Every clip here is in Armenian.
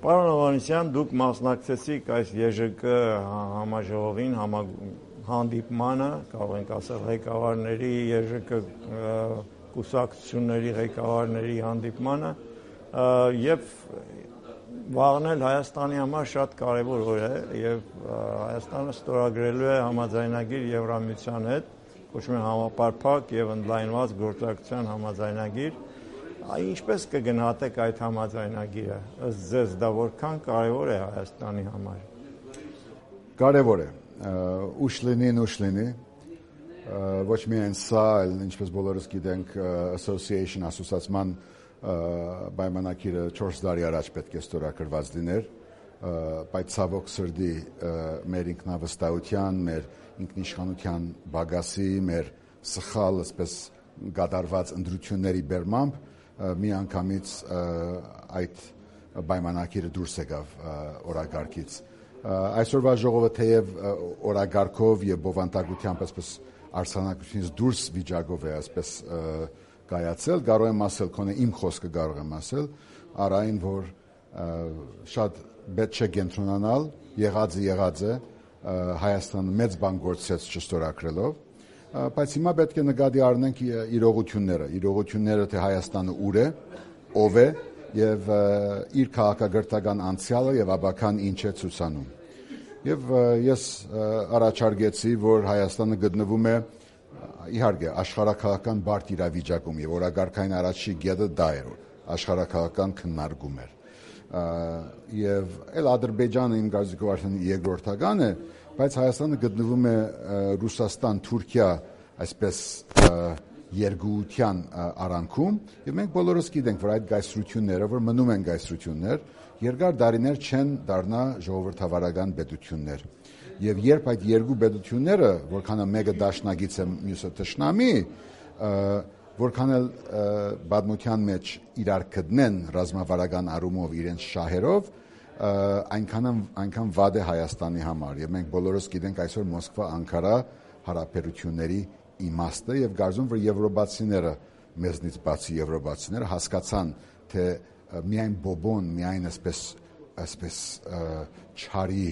Պարոն Հովհաննիսյան, դուք մասնակցեցիք այս ԵԺԿ համաժողովին, հանդիպմանը, կարող ենք ասել ղեկավարների, ԵԺԿ կուսակցությունների ղեկավարների հանդիպմանը, եւ վաղն էլ Հայաստանի համար շատ կարևոր օր է եւ Հայաստանը ստորագրելու է համաձայնագիր Եվրամիության հետ, կոչվում է համապարփակ եւ ընդլայնված գործակցության համաձայնագիր։ Ինչպես կգնահատեք այդ համաձայնագիրը, ըստ ձեզ դա որքան կարևոր է Հայաստանի համար։ Կարևոր է, ուշ լինի, ոչ միայն սա, այլ ինչպես բոլորս գիտենք, Association ասոցիացիան պայմանագիրը 4 տարի առաջ պետք է ստորագրված լիներ, բայց ցավոք սրտի մեր ինքնավստահության, մեր ինքնիշխանության բագասի, մեր սխալ, այսպես կատարված ընտրությունների բերմամբ միանգամից այդ պայմանագիրը դուրս եկավ օրագարկից։ Այսօրվա ժողովը թեև օրագարկով եւ բովանդակությամբ այսպես արձանագրությունից դուրս վիճակով է այսպես կայացել, կարող եմ ասել, քոնե իմ խոսքը կարող եմ ասել, առայն որ շատ պետք չէ կենտրոնանալ, եղած է Հայաստանը մեծ բան գործեց չստորագրելով, բայց հիմա պետք է նկատի առնենք իրողությունները թե Հայաստանը ուր է, ով է եւ իր քաղաքակրթական անցյալը եւ ապագան ինչ է ցուցանում։ Եվ ես առաջարկեցի, որ Հայաստանը գտնվում է իհարկե աշխարհակաղակական բարդ իրավիճակում եւ օրագարկային առաջի գետը դա էր, աշխարհակաղակական քննարկում էր։ Եվ էլ Ադրբեջանը իմ կարծիքով արդեն երկրորդական է, բայց Հայաստանը գտնվում է Ռուսաստան-Թուրքիա այսպես երկուության արանքում եւ մենք բոլորս գիտենք, որ այդ գայսրությունները, որ մնում են գայսրություններ, երկար տարիներ չեն դառնա ժողովրդավարական պետություններ։ Եվ երբ այդ երկու պետությունները, որքան մեկը դաշնակից է, մյուսը թշնամի, որքան էլ պատմության մեջ իրար գտնեն ռազմավարական առումով իրենց շահերով, այնքան վատ է Հայաստանի համար։ Եվ մենք բոլորս գիտենք այսօր Մոսկվա-Անկարա հարաբերությունների իմաստը եւ կարծում որ եվրոպացիները, մեզնից բացի եվրոպացիները հասկացան, թե միայն բոբոն, միայն այսպես չարի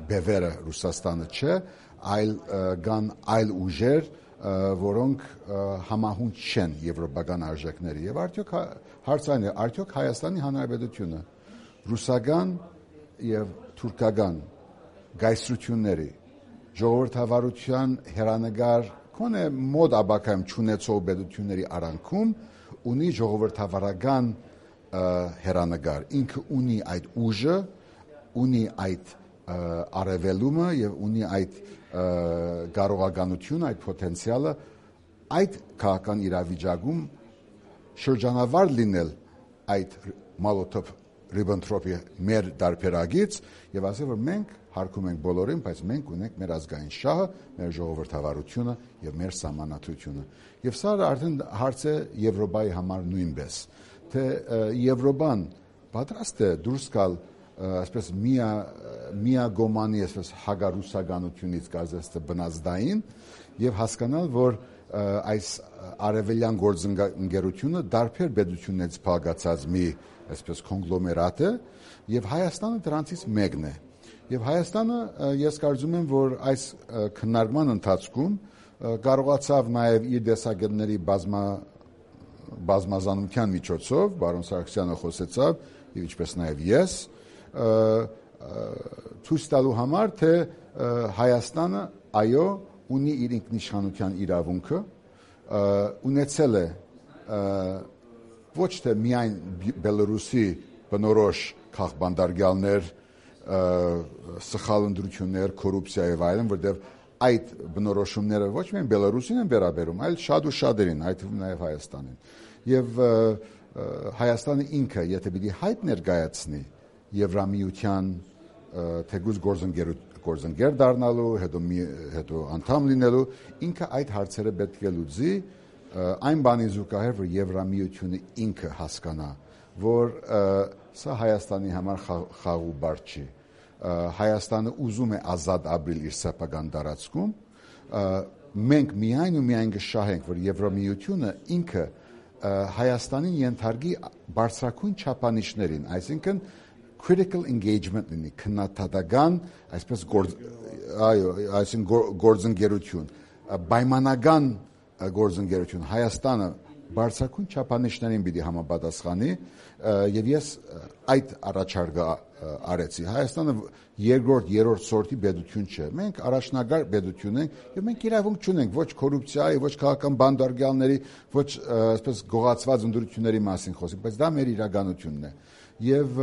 բևերը Ռուսաստանը չէ, կան այլ ուժեր, որոնք համահունչ չեն եվրոպական արժեքների։ Եվ հարցային է, արդյոք Հայաստանի Հանրապետությունը ռուսական եւ թուրքական գայսրությունների ժողովրդավարության հերանեկար քոնե մոտ ապակայում չունեցող պետությունների արանքում ունի ժողովրդավարական հերանեկար, ինքը ունի այդ ուժը, ունի այդ արևելումը եւ ունի այդ կարողականությունը, այդ պոտենցիալը այդ քաղաքական իրավիճակում շրջանավար լինել այդ Մոլոտով-Ռիբենտրոպի մեր դարբերագից եւ ասել որ մենք հարկում ենք բոլորին, բայց մենք ունենք մեր ազգային շահը, մեր ժողովրդավարությունը եւ մեր սահմանադրությունը։ Եվ սա արդեն հարց է Եվրոպայի համար նույնպես, թե Եվրոպան պատրաստ է դուրս գալ այսպես միագոմանի այսպես հագարուսականությունից կարծես բնազդային եւ հասկանալ, որ այս արևելյան գործընկերությունը դարբեր պետություններից փակացած մի այսպես կոնգլոմերատ է եւ Հայաստանը դրանցից մեկն է։ Եվ Հայաստանը ես կարծում եմ, որ այս քննարկման ընթացքում կարողացավ նաեւ իր դեսագետների բազմազանության միջոցով, բարոն Սարգսյանը խոսեցավ, եւ ինչպես նաեւ ես, ցույց տալու համար, թե Հայաստանը այո ունի իր ինքնիշխանության իրավունքը, ունեցել է ոչ թե միայն Բելարուսի բնորոշ քաղբանդարգյալներ, սխալ ընտրություններ, կոռուպցիա եւ այլն, որտեղ այդ բնորոշումները ոչ միայն Բելարուսին են վերաբերում, այլ շատ ու շատերին, այդ նաեւ Հայաստանին։ Եւ Հայաստանը ինքը, եթե պիտի հայտ ներկայացնի Եվրամիության թեկուզ գործընկեր դառնալու, հետո անդամ լինելու, ինքը այդ հարցերը պետք է լուծի այն բանի զուգահեռ, որ Եվրամիությունը ինքը հասկանա, որ սա Հայաստանի համար խաղու բար չի։ Հայաստանը ուզում է ազատ ապրել իր սեփական տարածքում, մենք միայն ու միայն կշահենք, որ Եվրամիությունը ինքը Հայաստանին ենթարկի բարձրագույն չափանիշներին, այսինքն critical engagement լինի, քննադատական, այսպես այսինքն գործընկերություն, պայմանական գործընկերություն Հայաստանը բարձրակույն չափանիշներին պիտի համապատասխանի եւ ես այդ առաջարկը արեցի Հայաստանը երկրորդ, երրորդ սորտի պետություն չէ։ Մենք առաջնագար պետություն ենք եւ մենք իրավունք չունենք ոչ կոռուպցիայի, ոչ քաղաքական բանդարգալների, ոչ այսպես գողացված ընդրությունների մասին խոսենք, բայց դա մեր իրականությունն է։ Եվ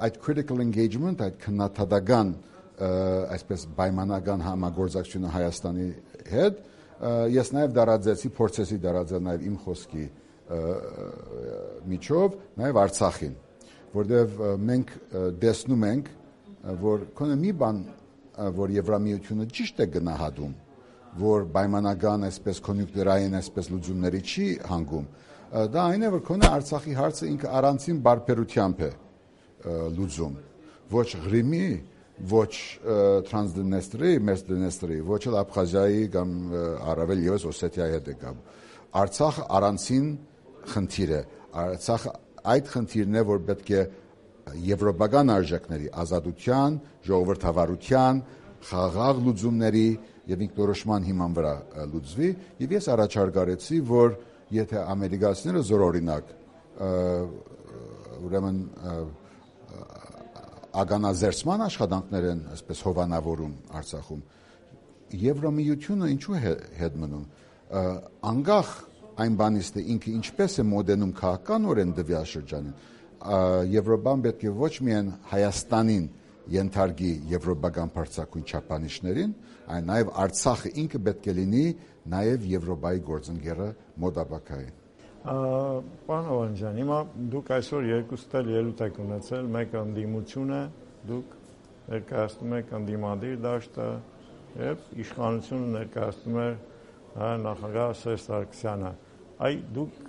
այդ critical engagement, այդ քննադատական այսպես պայմանական համագործակցությունը Հայաստանի հետ ես նաև դարաձեցի, փորձեցի դարաձել նաև իմ խոսքի միջով, նաև Արցախին, որտեղ մենք տեսնում ենք, որ քոնը մի բան, որ Եվրամիությունը ճիշտ է գնահատում, որ պայմանական այսպես կոնյունկտուրային այսպես լուծումների չի հանգում, դա այն է, որ քոնը Արցախի հարցը ինքը առանցին բարբերությամբ է լուծում, ոչ Ղրիմի, ոչ Տրանսդնեստրի, Մերձդնեստրի, ոչ էլ Աբխազիայի կամ առավել ևս Օսեթիայի հետ է կապ։ Արցախը առանցին խնդիր է։ Արցախը այդ խնդիրն է, որ պետք է եվրոպական արժեքների, ազատության, ժողովրդավարության, խաղաղ լուծումների եւ ինքնորոշման հիման վրա լուծվի, եւ ես առաջարկարեցի, որ եթե ամերիկացիները զորօրինակ ուրեմն ագանազերծման աշխատանքներ են այսպես հովանավորում Արցախում, Եվրամիությունը ինչու է հետ մնում, անկախ այն բանից թե ինքը ինչպես է մոդենում քաղաքականորեն տվյալ շրջանին, Եվրոպան պետք է ոչ միայն Հայաստանին ենթարկի եվրոպական բարձրակույն չափանիշներին, այլ նաև Արցախը ինքը պետք է լինի նաև Եվրոպայի գործընկերը մոտապակային։ Պարոն Հովհաննիսյան, հիմա դուք այսօր երկուստ էլ ելույթ եք ունեցել, մեկը ընդդիմություն է, դուք ներկայացնում եք ընդդիմադիր դաշտը եւ իշխանությունը ներկայացնում է նախագահ Սերժ Սարգսյանը։ Այ դուք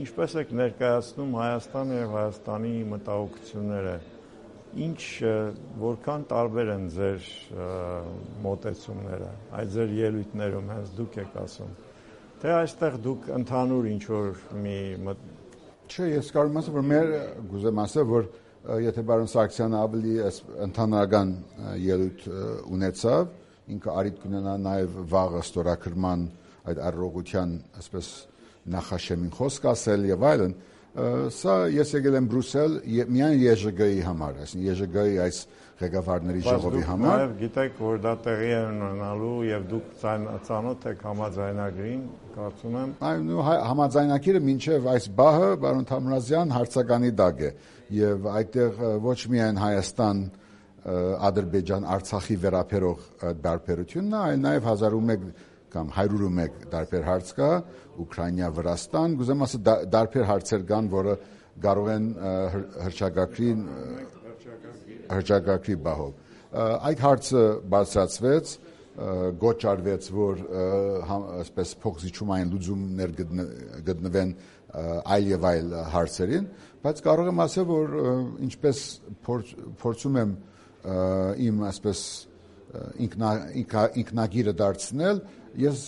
ինչպես եք ներկայացնում Հայաստանը եւ Հայաստանի մտահոգությունները, ինչ որքան տարբեր են ձեր մոտեցումները, այդ ձեր ելույթներում հենց դուք եք ասում։ Թե այստեղ դուք ընդհանուր ինչ-որ մի Չէ, ես կարող եմ ասել, որ մեր գուզեմ ասել, որ եթե պարոն Սարգսյանը ավելի ընդհանրական ելույթ ունեցավ, ինքը արիտ կունենա նաև վաղը ստորագրման այդ առողջության այսպես նախաշեմին խոսք ասել եւ այլն, սա ես եկել եմ Բրուսել միայն ԵԺԳ-ի համար, այսինքն ԵԺԳ-ի այս ղեկավարների ժողովի համար։ Բայց դուք գիտեք, որ դա տեղի է ունենալու եւ դուք ծանոթ եք համաձայնագրին, կարծում եմ։ Այո, համաձայնագիրը մինչեւ այս բահը պարոն Թամրազյան հարցականի տակ է եւ այդտեղ ոչ միայն Հայաստան, Ադրբեջան, Արցախի վերաբերող բարբերությունն է, այլ նաեւ 1001 կամ 101 տարբեր հարց կա, Ուկրաինա, Վրաստան, գուզեմ ասել տարբեր հարցեր կան, որը կարող են հրճակագրի բահով։ Այդ հարցը բարձրացվեց, գոչ արվեց, որ այսպես փոխզիջումային լուծումներ գտնվեն այլ եւ այլ հարցերին, բայց կարող եմ ասել, որ ինչպես փորձում եմ իմ այսպես ինքնագիրը դարձնել, ես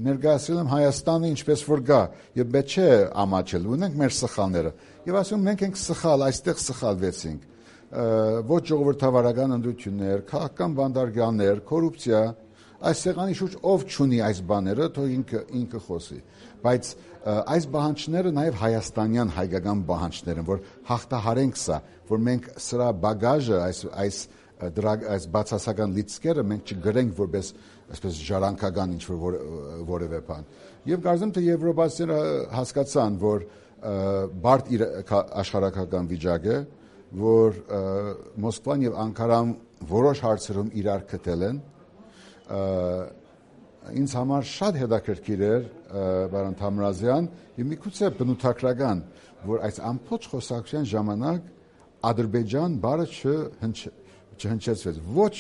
ներկայացրել եմ Հայաստանը ինչպես որ գա եւ պետք չէ ամաչել, ունենք մեր սխալները եւ ասում մենք ենք սխալ, այստեղ սխալվեցինք, ոչ ժողովրդավարական ընդրություններ, քաղաքական բանդարգալներ, կոռուպցիա, այս սեղանի շուրջ ով չունի այս բաները, թող ինքը խոսի, բայց այս բանջները նաեւ հայաստանյան հայկական բանջներ են, որ հաղթահարենք սա, որ մենք սրա բագաժը այս բացասական լիցքերը մենք չգրենք որպես այսպես ժառանգական ինչ-որ որևէ բան։ Եվ կարծեմ թե եվրոպացիները հասկացան, որ բարդ աշխարհակական վիճակ է, որ Մոսկվան եւ Անկարան որոշ հարցերում իրար գտել են։ Ինձ համար շատ հետաքրքիր էր, պարոն Թամրազյան, եւ միգուցե բնութագրական, որ այս ամբողջ խոսակցության ժամանակ Ադրբեջան բառը չհնչեցվեց, ոչ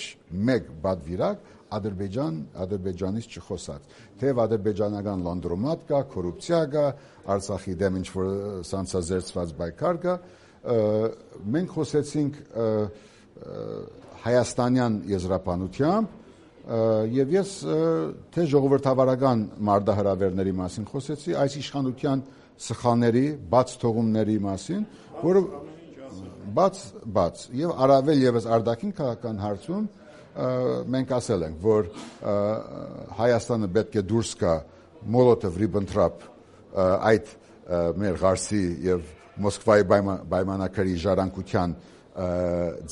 մեկ բادվիրակ Ադրբեջանից չխոսած, թեև ադրբեջանական լանդրոմատ կա, կոռուպցիա կա, Արցախի դեմ ինչ-որ սանձազերծված պայքար կա, մենք խոսեցինք հայաստանյան եզրափանությամբ եւ ես թե ժողովրդավարական մարտահրավերների մասին խոսեցի, այս իշխանության սխալների, բաց թողումների մասին, որը բաց եւ առավել եւս արտաքին քաղաքական հարցում մենք ասել ենք, որ Հայաստանը պետք է դուրս գա Մոլոտով-Ռիբենտրոպ այդ մեր ղարսի եւ Մոսկվայի պայմանագրի ժառանգության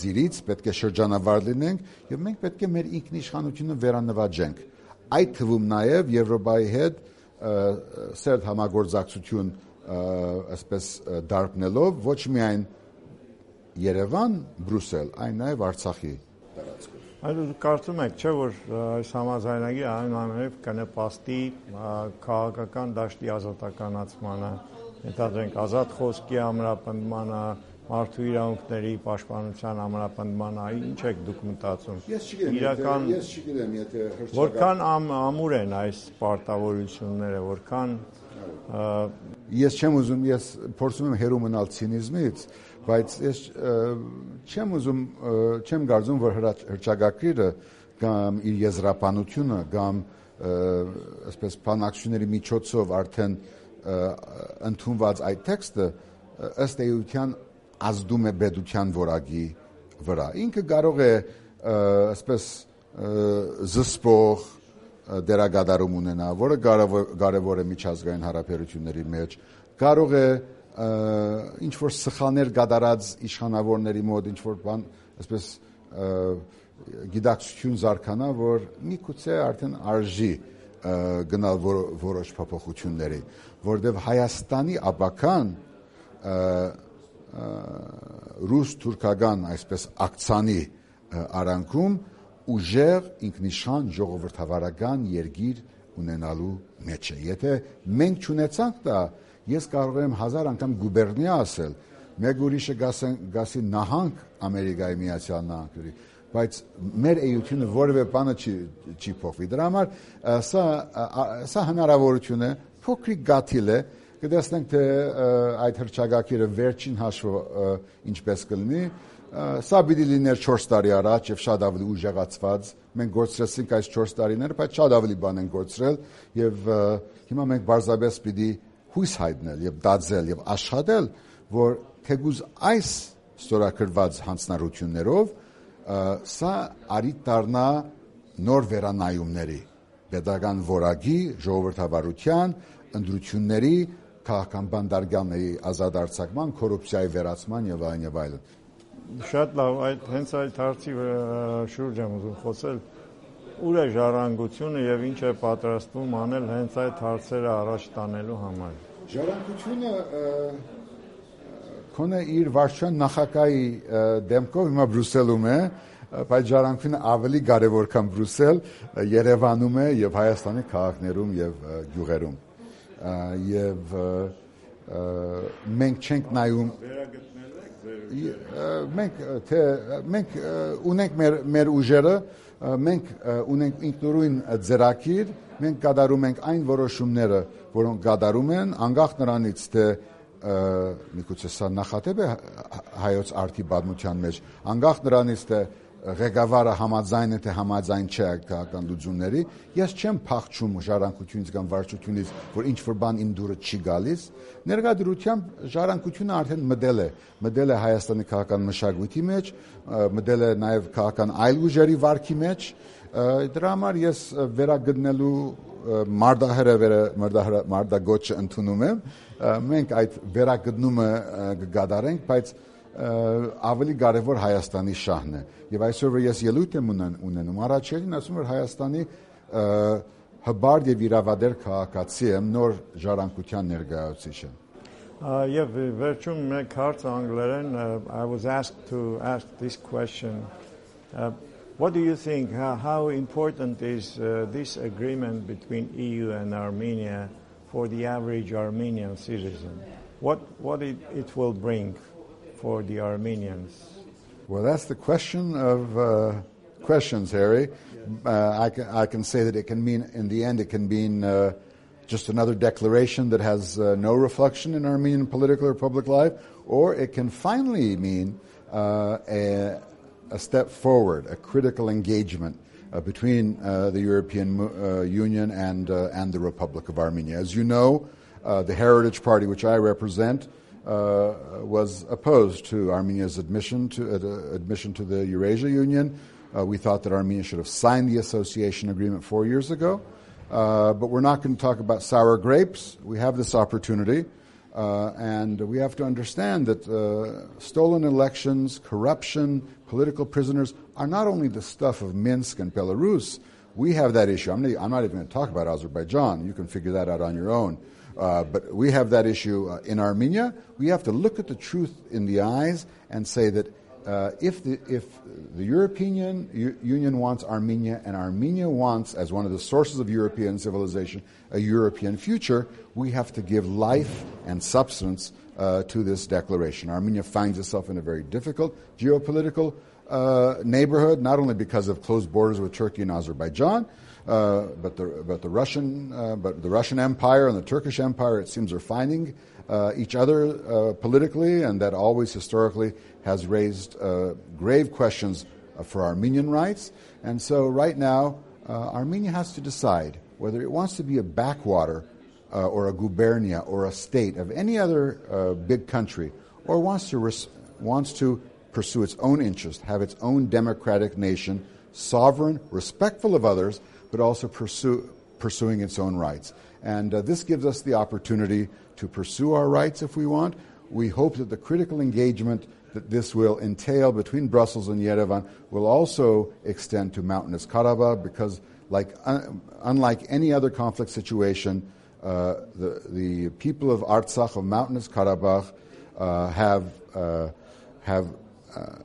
ձիրից, պետք է շրջանավար լինենք եւ մենք պետք է մեր ինքնիշխանությունը վերանվաճենք, այդ թվում նաեւ Եվրոպայի հետ սերտ համագործակցություն այսպես դարբնելով ոչ միայն Երևան, Բրուսել, այն նաեւ Արցախի տարածքում։ Այդ կարծում եք, չէ՞ որ այս համաձայնագիրը այնուամենայնիվ կնպաստի քաղաքական դաշտի ազատականացմանը, ենթադրենք ազատ խոսքի ամրապնդմանը, մարդու իրավունքների պաշտպանության ամրապնդմանը, ինչ եք դուք մտածում։ Ես չգիտեմ, եթե որքան ամուր են այս պարտավորությունները, որքան ես չեմ ուզում, ես փորձում եմ հեռու մնալ ցինիզմից, բայց ես չեմ կարծում, որ հռչակագրերը կամ իր եզրափանությունը կամ այսպես բանակցությունների միջոցով արդեն ընդունված այդ տեքստը ըստ էության ազդում է պետության որակի վրա։ Ինքը կարող է այսպես զսպող դերակատարում ունենա, որը կարևոր է միջազգային հարաբերությունների մեջ, կարող է ինչ որ սխալներ կատարած իշխանավորների մոտ ինչ որ բան, այսպես գիտակցություն զարգանա, որ միգուցե արդեն արժի գնալ որոշ փոփոխությունների, որտեղ Հայաստանի ապական ռուս-թուրքական այսպես ակցանի արանքում ուժեղ ինքնիշխան ժողովրդավարական երկիր ունենալու մեջ է։ Եթե մենք չունեցանք դա, ես կարող եմ 1000 անգամ գուբերնիա ասել, մեկ ուրիշը գասի նահանք Ամերիկայի Միացյալ Նահանգների, բայց մեր էությունը որևէ բանը չի փոխվի։ Դրա համար սա հնարավորություն է, փոքրիկ գաթիլ է, կտեսնենք թե այդ հռչակագիրը վերջին հաշվով ինչպես կլինի, սա պիտի լիներ 4 տարի առաջ եւ շատ ավելի ուժեղացված, մենք գործրեցինք այս 4 տարիները, բայց շատ ավելի բան են գործրել եւ հիմա մենք բարձրապես պիտի հույս հայտնել եւ դարձել եւ աշխատել, որ թեկուզ այս ստորագրված հանձնառություններով սա արիտ դառնա նոր վերանայումների, պետական որակի, ժողովրդավարության, ընտրությունների, քաղաքական բանդարգալների ազատ արձակման, կոռուպցիայի վերացման եւ այլն։ Շատ լավ, հենց այդ հարցի շուրջ եմ ուզում խոսել։ Ուր է ժառանգությունը եւ ինչ է պատրաստվում անել հենց այդ հարցերը առաջ տանելու համար։ Ժառանգությունը քոնը իր վարչության նախագահի դեմքով հիմա Բրուսելում է, բայց ժառանգությունը ավելի կարևոր քան Բրուսել, Երևանում է եւ Հայաստանի քաղաքներում եւ գյուղերում։ Եվ մենք չենք նայում մենք ունենք մեր ուժերը, մենք ունենք ինքնուրույն ձեռագիր, մենք կատարում ենք այն որոշումները, որոնք կատարում են, անկախ նրանից թե միգուցե սա նախատեպ է հայոց արդի պատմության մեջ, անկախ նրանից թե ղեկավարը համաձայն է թե համաձայն չէ քաղաքական լուծումների, ես չեմ փախչում ժառանգությունից կամ վարչությունից, որ ինչ որ բան իմ դուրը չի գալիս, ներկայությամբ ժառանգությունը արդեն մտել է Հայաստանի քաղաքական մշակույթի մեջ, մտել է նաև քաղաքական այլ ուժերի վարքի մեջ, դրա համար ես վերագտնելու մարտագոչը ընդունում եմ, մենք այդ վերագտնումը կգադարենք, բայց ավելի կարևոր Հայաստանի շահն է։ Եվ այսօր որ ես ելույթ եմ ունենում, առաջին ասում որ Հայաստանի հբարդ եւ իրավադեր քաղաքացի եմ, նոր ժառանգության ներկայացուցիչ եմ։ Եվ վերջում մեկ հարց անգլերեն, I was asked to ask this question. What do you think, how important is this agreement between EU and Armenia for the average Armenian citizen? What it will bring for the Armenians? Well, that's the question of questions, Harry. I can say that it can mean, in the end, it can mean just another declaration that has no reflection in Armenian political or public life, or it can finally mean a step forward, a critical engagement between the European Union and the Republic of Armenia. As you know, the Heritage Party, which I represent, was opposed to Armenia's admission to the Eurasia Union. We thought that Armenia should have signed the association agreement 4 years ago. But we're not going to talk about sour grapes. We have this opportunity. And we have to understand that stolen elections, corruption, political prisoners are not only the stuff of Minsk and Belarus. We have that issue. I'm not even going to talk about Azerbaijan. You can figure that out on your own. But we have that issue in Armenia. We have to look at the truth in the eyes and say that if the European Union wants Armenia and Armenia wants, as one of the sources of European civilization, a European future, we have to give life and substance to this declaration. Armenia finds itself in a very difficult geopolitical neighborhood, not only because of closed borders with Turkey and Azerbaijan, but the Russian Empire and the Turkish Empire, it seems, are finding each other politically, and that always historically has raised grave questions for Armenian rights. And so right now, Armenia has to decide whether it wants to be a backwater or a gubernia or a state of any other big country, or wants to pursue its own interest, have its own democratic nation, sovereign, respectful of others, but also pursuing its own rights. And this gives us the opportunity to pursue our rights if we want. We hope that the critical engagement that this will entail between Brussels and Yerevan will also extend to Mountainous Karabakh, because unlike any other conflict situation, the people of Artsakh, of Mountainous Karabakh, have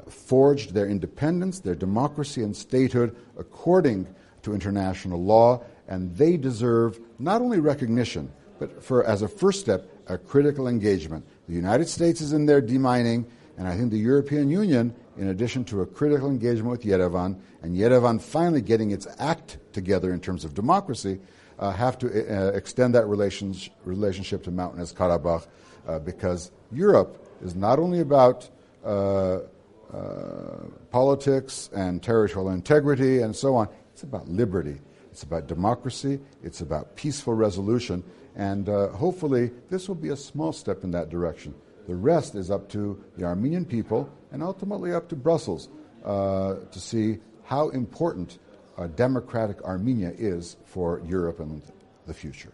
forged their independence, their democracy and statehood according to international law, and they deserve not only recognition, but as a first step, a critical engagement. The United States is in there demining, and I think the European Union, in addition to a critical engagement with Yerevan, and Yerevan finally getting its act together in terms of democracy, have to extend that relationship to Mountainous Karabakh, because Europe is not only about politics and territorial integrity and so on. It's about liberty. It's about democracy. It's about peaceful resolution. And hopefully this will be a small step in that direction. The rest is up to the Armenian people and ultimately up to Brussels to see how important a democratic Armenia is for Europe and the future.